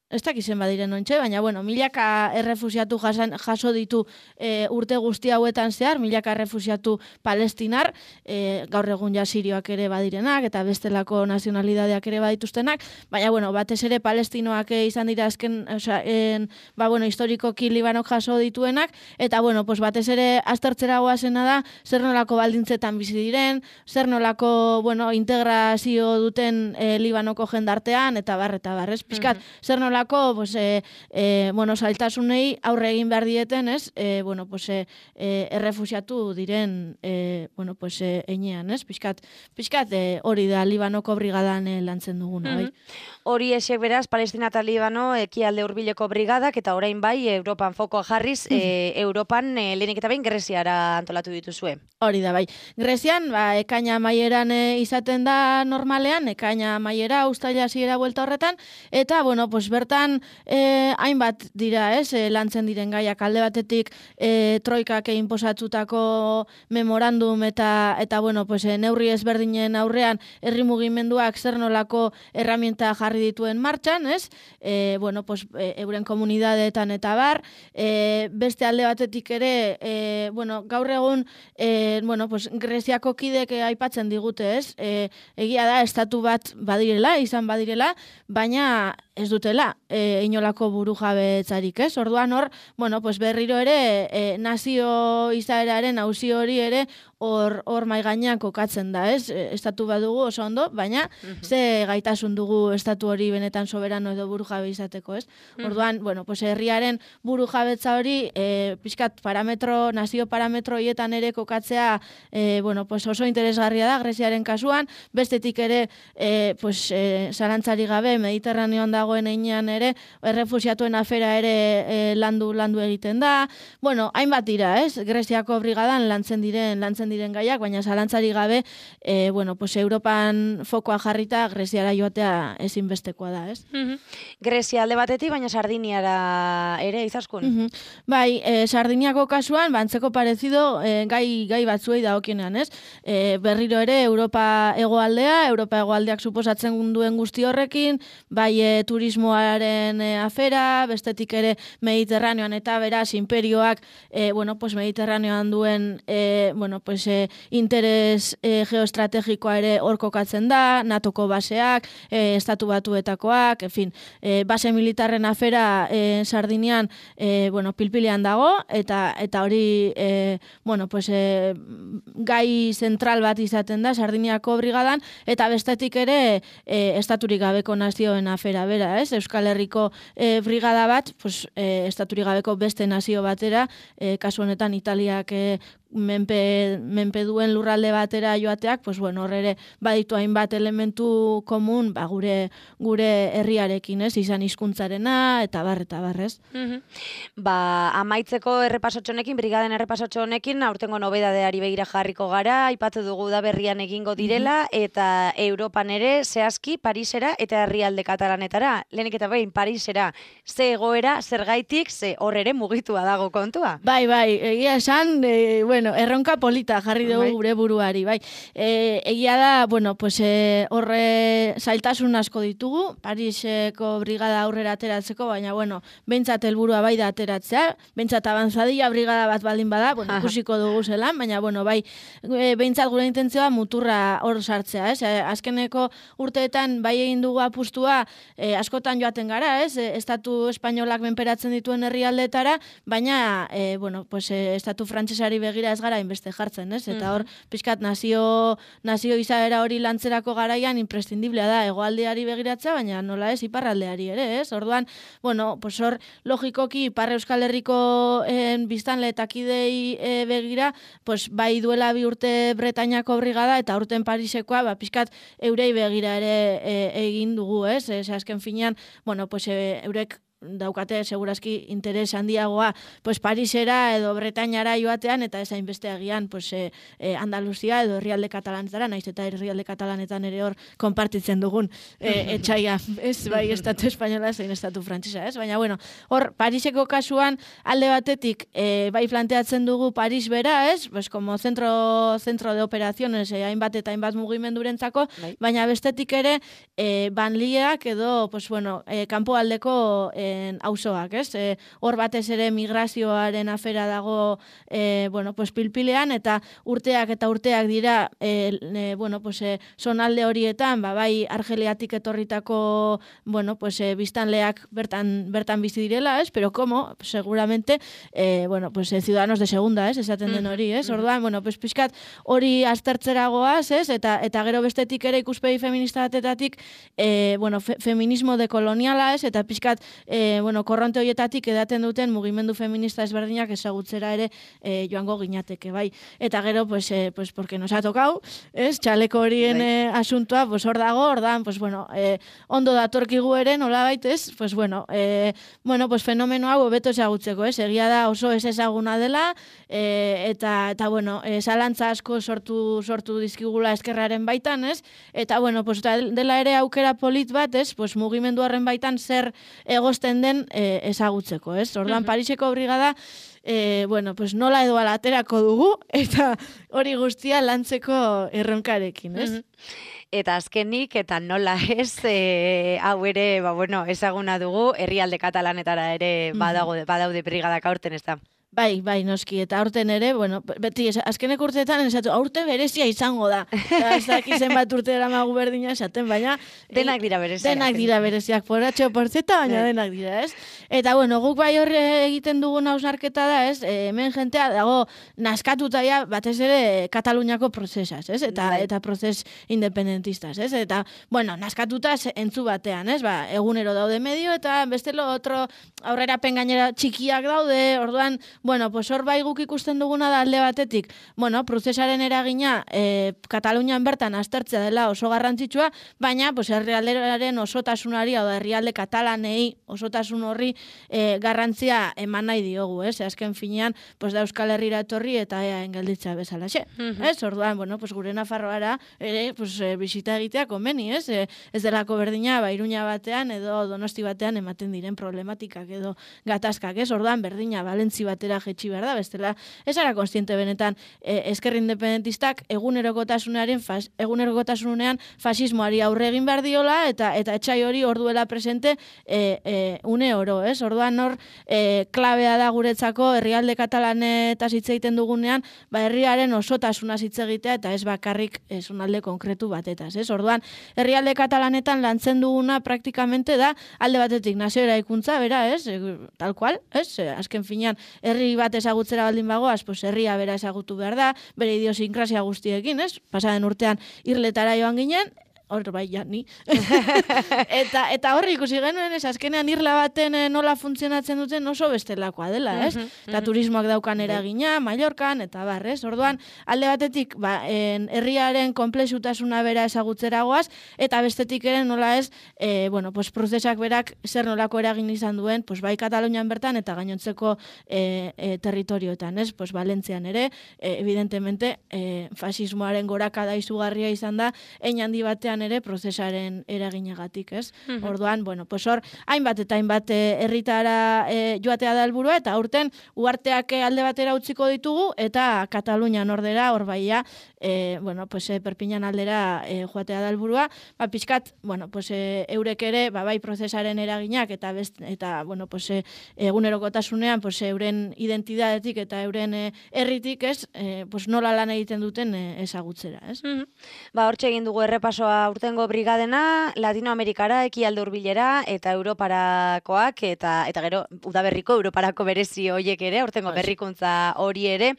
Speaker 2: ez dakizen badiren ontxe, baina, bueno, milaka errefusiatu jasan, jaso ditu e, urte guzti hauetan zehar, milaka errefusiatu Palestinar, e, gaur egun ja Sirioak ere badirenak, eta bestelako nazionalidadeak ere badituztenak, baina, bueno, batez ere Palestinoak izan dira azken, oza, en, ba, bueno, historikoki Libanok jaso dituenak, eta, bueno, pues, batez ere aztertzera goazena da, zer nolako baldintzetan bizi diren, zer nolako, bueno, integrazio duten e, Libanoko jendartean, eta bar, eta bar, ez? Piskat, mm-hmm. zer nolako pues, eh, eh, bueno, saltasunei aurre egin behar dieten, ez? Eh, bueno, pues, eh, eh, errefusiatu diren eh, bueno, pues, eh, enean, ez? Piskat, piskat eh, hori da Libanoko brigadan eh, lantzen duguna, bai?
Speaker 1: Mm-hmm. Hori esek beraz, Palestina eta Libano ekialde hurbileko brigadak, eta orain bai, Europan fokoa jarriz, mm-hmm. e, Europan e, lehenik eta behin Greziara antolatu dituzue.
Speaker 2: Hori da, bai. Grezian, ba, ekaina maieran e, izaten da normalean, ekaina maiera, ustaila hasiera buelta horretan, eta, bueno, pues, bertan eh, hainbat dira, ez, eh, lantzen diren gaiak alde batetik eh, troikak egin posatutako memorandum eta, eta bueno, pues, eh, neurri ezberdinen aurrean herri mugimenduak zer nolako herramienta jarri dituen martxan, ez, eh, bueno, pues, eh, euren komunidadeetan eta bar, eh, beste alde batetik ere, eh, bueno, gaur egun, eh, bueno, pues, Greziako kidek aipatzen digute, ez, eh, egia da, estatu bat badirela, izan badirela, baina ez dutela e, inolako buru jabetzarik, ez? Orduan hor, bueno, pues berriro ere e, nazio izaeraren auzi hori ere hor hor mai gainean kokatzen da, ez? Estatu badugu oso ondo, baina ze gaitasun dugu estatu hori benetan soberano edo burujabe izateko, ez? Orduan, bueno, pues herriaren burujabetza hori e, pixkat parametro, nazio parametro hietan ere kokatzea e, bueno, pues oso interesgarria da Greziaren kasuan, bestetik ere e, pues, e, zalantzari gabe Mediterraneoan dagoen einean ere errefusiatuen afera ere e, landu landu egiten da. Bueno, hainbat dira, ez? Greziako brigadan lantzen diren lantzen diren gaiak, baina zalantzari gabe e, bueno, pues Europan fokoa jarrita Greziara joatea ezinbestekoa da, ez?
Speaker 1: Mm-hmm. Grezia alde batetik, baina Sardiniara ere izaskun.
Speaker 2: Mm-hmm. Bai, e, Sardiniako kasuan, bantzeko parezido e, gai, gai batzuei dagokienean, ez? E, berriro ere Europa hegoaldea, Europa hegoaldeak suposatzen duen guzti horrekin, bai e, turismoaren e, afera, bestetik ere Mediterraneoan eta beraz imperioak e, bueno, pues Mediterraneoan duen e, bueno, pues, e, interes e, geoestrategikoa ere hor kokatzen da, natoko baseak, e, estatu batuetakoak, en fin, e, base militarren afera e, Sardinian e, bueno, pilpilean dago, eta eta hori e, bueno, pues, e, gai zentral bat izaten da Sardiniako brigadan, eta bestetik ere e, estaturik gabeko nazioen afera bera, ez? Euskal Herriko e, brigada bat, pues, e, estaturik gabeko beste nazio batera, e, kasu honetan Italiak e, menpe, menpe duen lurralde batera joateak, pues bueno, hor ere baditu hainbat elementu komun, ba, gure gure herriarekin, ez? Izan hizkuntzarena eta bar eta bar, ez?
Speaker 1: Mm-hmm. Ba, amaitzeko errepasotxo honekin, brigaden errepasotxo honekin, aurtengo nobedadeari begira jarriko gara, aipatu dugu da berrian egingo direla, mm-hmm. eta Europan ere zehazki Parisera eta herrialde katalanetara. Lehenik eta behin Parisera, ze egoera, zergaitik, ze hor ere mugitua dago kontua.
Speaker 2: Bai, bai, egia esan, e, bueno, erronka polita jarri dugu bai. Gure buruari, bai. E, egia da, bueno, pues e, horre zailtasun asko ditugu, Pariseko brigada aurrera ateratzeko, baina, bueno, behintzat helburua bai da ateratzea, behintzat avanzadilla brigada bat baldin bada, bueno, ikusiko dugu zelan, baina, bueno, bai, e, behintzat gure intentzioa muturra hor sartzea, ez? E, azkeneko urteetan bai egin dugu apustua, e, askotan joaten gara, ez? E, estatu espainolak menperatzen dituen herrialdetara, baina, e, bueno, pues, e, estatu frantsesari begira ez gara inbeste jartzen, ez? Eta hor, pixkat nazio, nazio izaera hori lantzerako garaian imprescindiblea da hegoaldeari begiratzea, baina nola ez iparraldeari ere, ez? Orduan, bueno, pues hor, logikoki Ipar Euskal Herriko en, biztanle eta kidei e, begira, pues bai duela bi urte Bretainiako brigada eta urten Parisekoa, ba, pixkat eurei begira ere e, egin dugu, ez? Ez azken finean, bueno, pues e, eurek daukate segurazki interes handiagoa pues Parisera edo Bretainara joatean eta ezain beste agian pues e, e, Andaluzia edo herrialde katalanetara, naiz eta herrialde katalanetan ere hor konpartitzen dugun e, etxaia, ez bai estatu espainola zein estatu frantsesa, ez? Baina bueno, hor Pariseko kasuan alde batetik e, bai planteatzen dugu Paris bera, ez? Pues como centro centro de operaciones e, hainbat eta hainbat mugimendurentzako, bai. Baina bestetik ere e, banliak edo pues bueno, e, kanpoaldeko e, auzoak, ez? E, hor batez ere migrazioaren afera dago e, bueno, pues pilpilean eta urteak eta urteak dira e, e, bueno, pues e, zonalde horietan, ba, bai Argeliatik etorritako bueno, pues e, biztanleak bertan bertan bizi direla, ez? Pero como, pues, seguramente e, bueno, pues e, ciudadanos de segunda, ez? Esaten den hori, ez? Orduan, bueno, pues pixkat hori aztertzeragoaz, ez? Eta eta gero bestetik ere ikuspegi feminista batetatik e, bueno, fe, feminismo dekoloniala, ez? Eta pixkat E, bueno, korronte horietatik edaten duten mugimendu feminista ezberdinak ezagutzera ere e, joango ginateke, bai. Eta gero, pues, e, pues porque nos ha tocado, ez, txaleko horien e, asuntua, pues hor dago, hor dan, pues bueno, e, ondo datorkigu ere, nola baitez, pues bueno, e, bueno, pues fenomeno hau hobeto ezagutzeko, ez, egia da oso ez ezaguna dela, e, eta, eta bueno, e, zalantza asko sortu, sortu dizkigula eskerraren baitan, ez, eta bueno, pues dela ere aukera polit bat, ez, pues mugimendu horren baitan zer egosten den e, ezagutzeko, ez? Orduan, Pariseko brigada, e, bueno, pues nola edo ala aterako dugu, eta hori guztia lantzeko erronkarekin, ez?
Speaker 1: Eta azkenik, eta nola ez, e, hau ere, ba, bueno, ezaguna dugu, herrialde katalanetara ere badago, badaude brigadak aurten, ez da?
Speaker 2: Bai, bai, noski, eta aurten ere, bueno, beti, azkenek urteetan, esatu, aurten berezia izango da. Ez daki zenbat urte eramagu berdina esaten, baina...
Speaker 1: Denak dira bereziak.
Speaker 2: Denak dira bereziak, poratxo, porzeta, baina denak dira, ez? Eta, bueno, guk bai horre egiten dugun hausnarketa da, ez? Hemen jentea dago naskatuta ja, batez ere, Kataluniako prozesaz, ez? Eta, eta prozes independentistaz, ez? Eta, bueno, naskatuta entzu batean, ez? Ba, egunero daude medio, eta bestelo otro aurrera pengainera txikiak daude, orduan, bueno, pues hor bai guk ikusten duguna da alde batetik, bueno, prozesaren eragina e, Katalunian bertan aztertzea dela oso garrantzitsua, baina pues herrialdearen osotasunari, hau da herrialde katalanei osotasun horri e, garrantzia eman nahi diogu, ez? Azken finean, pues da Euskal Herrira etorri eta ea engelditza bezalaxe. Ez? Orduan, bueno, pues gure Nafarroara ere, pues e, bisita egitea komeni, ez? E, ez delako berdina, ba, Iruña batean edo Donosti batean ematen diren problematikak edo gatazkak, ez? Orduan, berdina, Valentzi batera jetxi behar da, bestela, ez ara konstiente benetan eh, ezker independentistak egunerokotasunaren fas, egunerokotasunean fasismoari aurre egin behar diola eta eta etxai hori orduela presente eh, eh, une oro, ez? Orduan hor eh, klabea da guretzako herrialde katalanetaz hitz egiten dugunean, ba herriaren osotasuna hitz egitea eta ez bakarrik zonalde konkretu batetaz, ez? Orduan herrialde katalanetan lantzen duguna praktikamente da alde batetik nazio eraikuntza, bera, ez? Tal cual, ez? Azken finean herri bat ezagutzera baldin bagoaz, pues herria bera ezagutu behar da, bere idiosinkrazia guztiekin, ez? Pasaden urtean irletara joan ginen, hor bai, ja, ni. eta, eta horri ikusi genuen, ez, azkenean irla baten nola funtzionatzen duten oso bestelakoa dela, ez? Uh -huh, uh -huh. Eta turismoak daukan eragina, Mallorcan, eta bar, ez? Orduan, alde batetik, ba, en, herriaren komplexutasuna bera ezagutzeragoaz, eta bestetik ere nola ez, e, bueno, pues, prozesak berak zer nolako eragin izan duen, pues, bai Katalunian bertan, eta gainontzeko e, e, territorioetan, ez? Pues, Valentzian ere, e, evidentemente, e, fasismoaren gorakada izugarria izan da, hein handi batean ere prozesaren eraginagatik, ez? Uh-huh. Orduan, bueno, pues hor, hainbat eta hainbat herritara e, joatea da helburua eta aurten uharteak alde batera utziko ditugu eta Katalunian ordera, hor baia, e, bueno, pues e, Perpiñan aldera e, joatea da helburua, ba pizkat, bueno, pues e, eurek ere, ba bai prozesaren eraginak eta best, eta bueno, pues e, egunerokotasunean, pues euren identidadetik eta euren e, herritik, ez? E, pues nola lan egiten duten e, ezagutzera, ez?
Speaker 1: Uh-huh. Ba, hortxe egin dugu errepasoa urtengo brigadena, Latinoamerikara, ekialde hurbilera eta Europarakoak eta eta gero udaberriko Europarako berezi horiek ere, urtengo berrikuntza hori ere.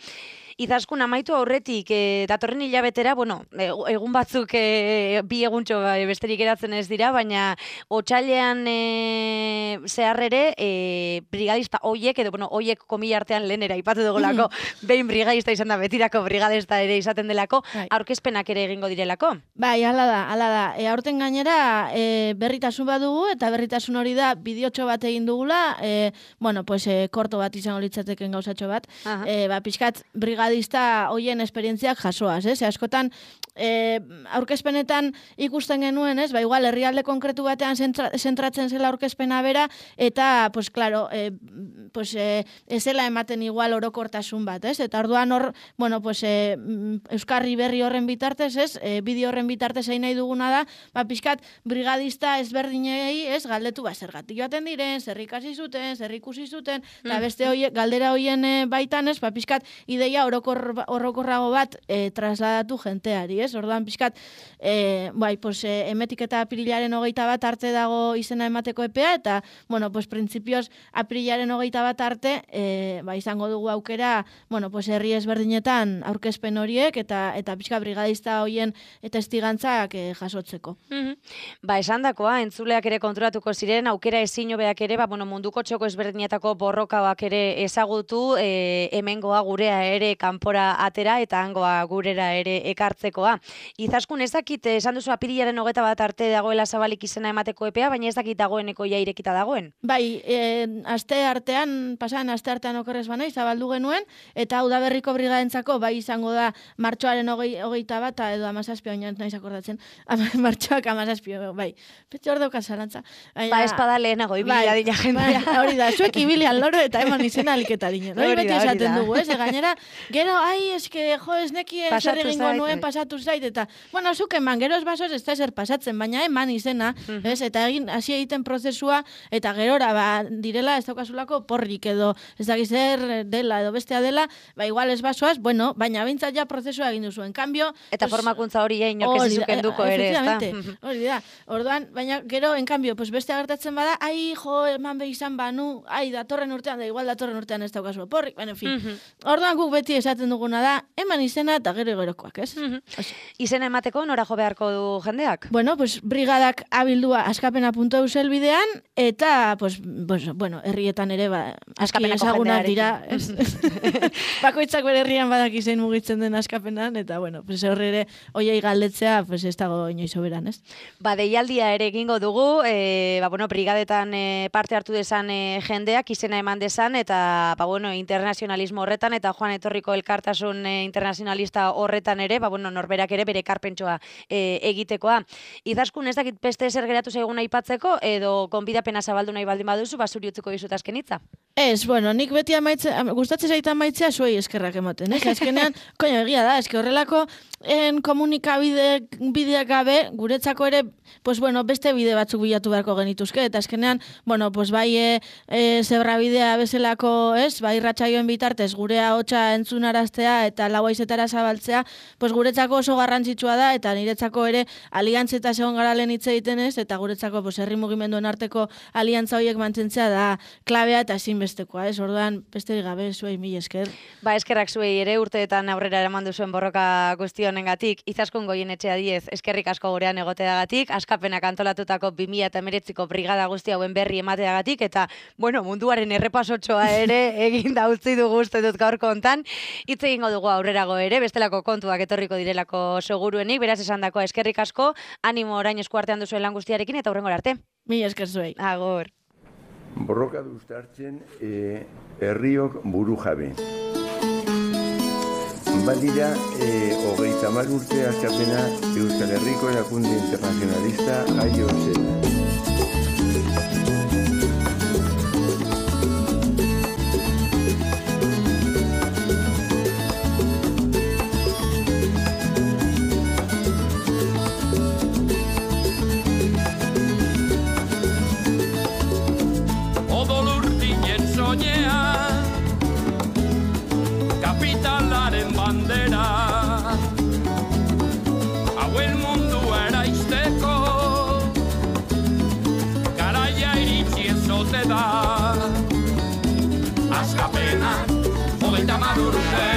Speaker 1: Izaskun amaitu aurretik, e, datorren hilabetera, bueno, egun batzuk e, bi eguntxo e, besterik eratzen ez dira, baina otsailean e, zehar ere, e, brigadista hoiek, edo, bueno, hoiek komila artean lehenera ipatu dugulako, behin brigadista izan da, betirako brigadista ere izaten delako, aurkezpenak ere egingo direlako.
Speaker 2: Bai, ala da, ala da. E, aurten gainera, e, berritasun bat dugu, eta berritasun hori da, bideotxo bat egin dugula, e, bueno, pues, e, korto bat izango litzateken gauzatxo bat, e, ba, pixkat, brigadista hoien esperientziak jasoaz, ez? Askotan, e, aurkezpenetan ikusten genuen, ez? Ba, igual, herrialde konkretu batean zentratzen zela aurkezpena bera, eta, pues, claro, e, pues, e, ezela ematen igual orokortasun bat, ez? Eta orduan hor, bueno, pues, e, Euskarri berri horren bitartez, ez? E, bideo horren bitartez egin nahi duguna da, ba, pixkat, brigadista ezberdinei, ez? Galdetu, ba, zergatik joaten diren, zer ikasi zuten, zer ikusi zuten, eta beste hoie, galdera hoien e, baitan, ez? Ba, pixkat, ideia orokorrago bat e, trasladatu jenteari, ez? Orduan, pixkat, e, bai, pues, e, emetik eta apirilaren hogeita bat arte dago izena emateko epea, eta, bueno, pues, printzipioz, apirilaren hogeita bat arte, e, ba, izango dugu aukera, bueno, pues, herri ezberdinetan aurkezpen horiek, eta eta pixka brigadista hoien eta estigantzak e, jasotzeko.
Speaker 1: Mm-hmm. Ba, esan dakoa, entzuleak ere konturatuko ziren, aukera ezin hobeak ere, ba, bueno, munduko txoko ezberdinetako borrokaak ere ezagutu, e, hemengoa gurea ere kanpora atera eta hangoa gurera ere ekartzekoa. Izaskun, ez dakit, esan duzu apirilaren hogeta bat arte dagoela zabalik izena emateko epea, baina ez dakit dagoeneko ja irekita dagoen.
Speaker 2: Bai, e, aste artean, pasan aste artean okerrez banai, zabaldu genuen, eta udaberriko brigadentzako bai izango da martxoaren hogei, hogeita bat, edo amazazpio, oinat nahiz akordatzen, martxoak amazazpio, bai. Petxe hor daukat zalantza.
Speaker 1: Ba, espada lehenago, ibila dina jendea.
Speaker 2: Bai, hori da, zuek ibilian loro eta eman izena aliketa dinen. Hori beti esaten dugu, ez? Gainera, Gero, ai, eske, jo, ez nekien zer egingo nuen pasatu zait, eta, bueno, zuk eman, gero ez basoz ez da zer pasatzen, baina eman izena, mm-hmm. ez, eta egin, hasi egiten prozesua, eta gerora, ba, direla, ez daukazulako porrik edo, ez dakiz zer dela edo bestea dela, ba, igual ez basoaz, bueno, baina bintzat ja prozesua egin duzu, en cambio...
Speaker 1: Eta pues, formakuntza hori ja inok ez izukenduko ere, ez da?
Speaker 2: Hori da, orduan, baina gero, en cambio, pues beste agertatzen bada, ai, jo, eman behi izan banu, ai, datorren urtean, da igual datorren urtean ez daukazu porrik, bueno, en fin. Mm-hmm. Orduan guk beti esaten duguna da, eman izena eta gero gerokoak, ez? Mm-hmm.
Speaker 1: Izena emateko nora jo beharko du jendeak?
Speaker 2: Bueno, pues brigadak abildua askapena puntu eus elbidean, eta, pues, pues, bueno, herrietan ere, ba, aski ezagunak dira, ez? Bakoitzak bere herrian badaki zein mugitzen den askapenan, eta, bueno, pues horre ere, oiei galdetzea, pues ez dago inoiz oberan, ez?
Speaker 1: Ba, deialdia ere egingo dugu, e, ba, bueno, brigadetan e, parte hartu desan e, jendeak izena eman desan, eta, ba, bueno, internazionalismo horretan, eta joan etorriko elkartasun e, internazionalista horretan ere, ba, bueno, norberak ere bere karpentsoa e, egitekoa. Izaskun ez dakit beste zer geratu zaigun aipatzeko, edo gonbidapena zabaldu nahi baldin baduzu, basuri utzuko dizut azken hitza.
Speaker 2: Ez, bueno, nik beti amaitze, gustatzen zaita amaitzea zuei eskerrak emoten, ez? Azkenean, koño, egia da, eske horrelako en komunikabide bideak gabe, guretzako ere, pues bueno, beste bide batzuk bilatu beharko genituzke, eta azkenean, bueno, pues bai e, e, zebra bidea bezalako, ez? Bai ratsaioen bitartez, gurea hotza entzunaraztea eta lau haizetara zabaltzea, pues guretzako oso garrantzitsua da, eta niretzako ere aliantzeta segon gara lehen hitz egiten ez, eta guretzako, pues herri mugimenduen arteko aliantza horiek mantentzea da klabea eta ezinbestekoa, ez? Orduan, besterik gabe, zuei mil esker.
Speaker 1: Ba, eskerrak zuei ere urteetan aurrera eraman duzuen borroka guztionengatik, Izaskun Goienetxea diez, eskerrik asko gurean egoteagatik, askapenak antolatutako bi mila hemeretziko brigada guzti hauen berri emateagatik, eta, bueno, munduaren errepasotxoa ere egin da utzi dugu uste dut gaurko hontan. Hitz egingo dugu aurrerago ere, bestelako kontuak etorriko direlako seguruenik, beraz esandakoa eskerrik asko, animo orain eskuartean duzuen lan guztiarekin, eta hurrengora arte.
Speaker 2: Mila esker zuei.
Speaker 1: Agur.
Speaker 3: Borroka duztartzen e, herriok buru jabe. Badira, e, hogeita hamar urte askapena Euskal Herriko erakunde internazionalista jaio zela.
Speaker 4: Kapitalaren bandera hauen mundua eraisteko garaia iritsi ezote da Askapena hogeita hamar urte